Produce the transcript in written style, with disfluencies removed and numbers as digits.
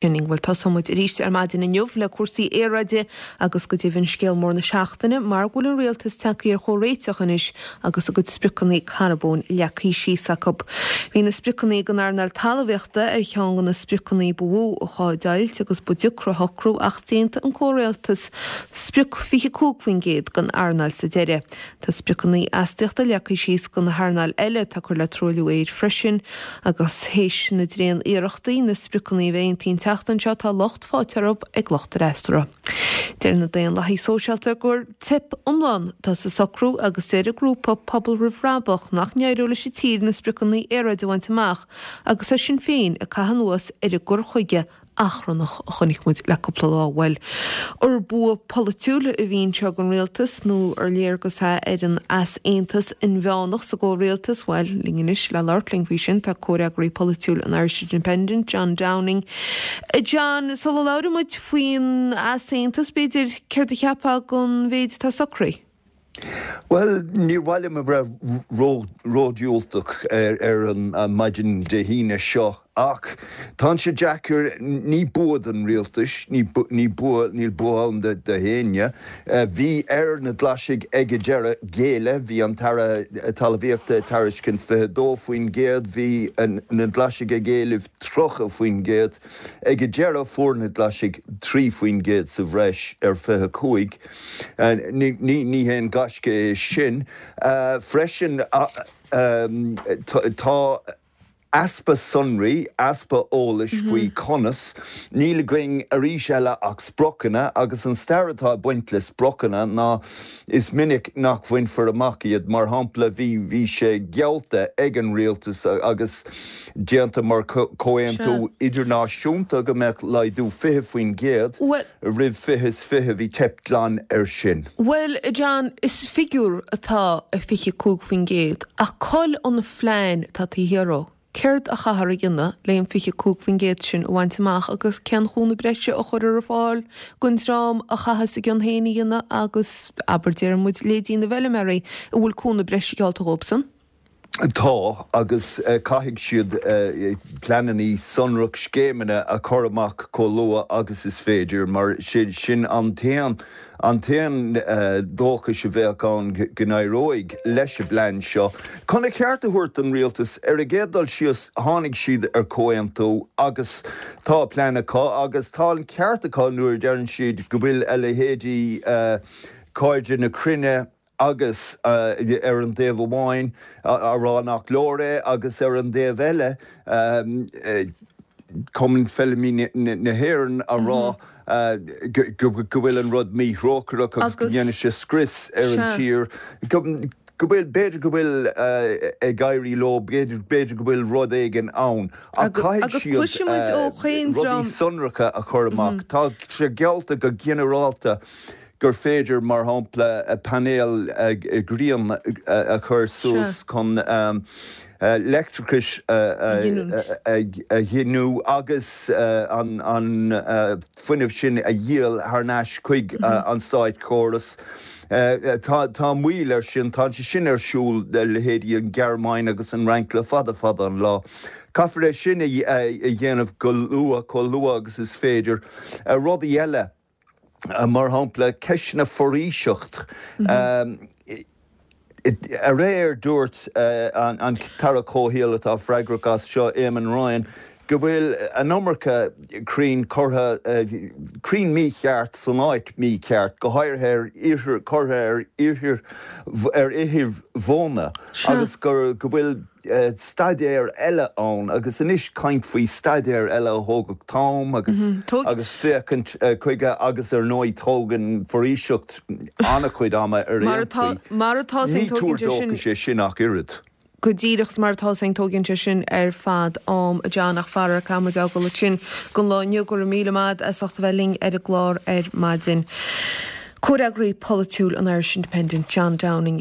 Bhuel, tosóidh muid arís ar maidin inniu le cúrsaí aeráide agus go deimhin scéal mór na seachtaine mar go bhfuil an rialtas tagtha ar chomhréiteach anois agus a gcuid spriocanna carbóin leagtha síos acu. Bhí na spriocanna don earnáil talmhaíochta ar cheann de na spriocanna ba mhó a sháigh deighilt agus ba deacra a shocrú ach d'aontaigh an comhrialtas sprioc 25% don earnáil sa deireadh. Tá spriocanna astaíochta leagtha síos do na hearnáil eile atá ag cur le truailliú aeir freisin agus théis na dtréan iarrachtaí na spriocanna a bheith aontaithe an tseachtain seo tá locht faighte orthu ag lucht a fhreasúra. Deir na Daonlathaigh Sóisialta gur teip iomlán atá sa socrú agus deir an grúpa Pobal Roimh Bhrabach nach n-éireoidh leis an tír na spriocanna aeráide a bhaint amach agus tá Sinn Féin ag caitheamh anuas ar an gcur chuige achrannach a chonaic muid le cúpla lá. Bhuel, ar bua polaitiúil a bhí anseo don rialtas nó ar léargas é ar an easaontas inmheánach sa gcomhrialtas? Bhuel, linn anois le labhairt linn faoi sin tá comhfhreagraí polaitiúil an Irish Independent, John Downing. A John, sula labhraíonn muid faoin easaontas, b'fhéidir, céard a cheapfá den mhéid atá socraithe? Bhuel, níor mhaith liom a bheith ródhiúltach ar an maidin Dé hAoine seo ach tá sé deacair, ní bua don rialtas, ní bua, níl bua ann do éinne. Bhí ar na Glaisigh ag an deireadh géilleadh, bhí an tAire Talmhaíochta ag tairiscint 22%, bhí na Glaisigh ag éileamh 30%. Ag an deireadh fuair na Glaisigh 3% sa bhreis ar 25. Ní haon gaisce é sin. Freisin tá easpa sonraí, easpa eolais faoi conas. Níl againn arís eile ach spriocanna agus an stair atá ag baint le spriocanna ná is minic nach bhainfear amach iad. Mar shampla bhí bhí sé geallta ag an rialtas agus déanta mar chomhaontú idirnáisiúnta go mbeadh laghdú 20% roimh 2020, bhí teip glan air sin. Bhuel, a John, is figiúr atá i 25% ach cá bhfuil an phlean atá taobh thiar dhó. Céard a chaithfear a dhéanamh le an 25% sin a bhaint amach agus cén chúnamh breise a chuirfear ar fáil don dream a chaitheas a gcion féin a dhéanamh agus, abair, déarfaidh muid, leithéidí na bhfeilméaraí, an bhfuil cúnamh breise geallta dhóibhsan? Tá, agus caithfidh siad pleananna sonrach, scéimeanna a chur amach chomh luath agus is féidir, mar sin an t-aon an t-aon dóchas a bheadh ann go n-éireoidh leis an bplean seo. Chun a cheart a thabhairt don rialtas, ar an gcéad dul síos tháinig siad ar chomhaontú agus tá plean acu agus tá an ceart acu nuair a deireann siad go bhfuil a leithéidí Cairde na Cruinne, agus ar an dtaobh amháin á rá nach leor é agus ar an dtaobh eile Cumann Feilméaraí na hÉireann á rá go bhfuil an rud míthrócaireach agus go ndéanfaidh sé scrios ar an tír. Go bhfuil, b'fhéidir go bhfuil ag éirí leo, b'fhéidir go bhfuil rud éigin ann ach caithfidh siad rudaí sonracha a chur amach. Tá sé geallta go ginearálta gur féidir, mar shampla, painéil ghriaine a chur suas chun leictreachas a ghiniúint agus an fuinneamh sin a dhíol thar n-ais chuig an státchóras. Tá moill air sin, tá sé sin ar siúl le leithéidí an Ghearmáin agus an Fhrainc le fada fada an lá. Caithfear é sin a dhéanamh go luath, chomh luath agus is féidir. Rudaí eile. Mar shampla, ceisteanna foraoiseacht. Aréir dúirt an tAire Comhshaoil atá freagrach as seo, Eamon Ryan, go bhfuil an iomarca crainn curtha, crainn mícheart san áit mícheart, go háirithe ar ithir, curtha ar ithir, ar ithir mhóna agus go bhfuil staidéar eile ann agus anois caint faoi staidéar eile a thógfadh t-am agus agus féachaint chuige agus ar ndóigh tógann foraoiseacht an-chuid ama ar aon chaoi. Ní tuar dóchais é sin ach oiread. Go díreach mar atá sin tógann sé sin ar fad am, a John, ach faraor caithfidh muid fhágáil ansin don lá inniu. Go raibh míle maith as ucht a bheith linn ar an gclár ar maidin. Comhfhreagraí polaitiúil an Irish Independent, John Downing.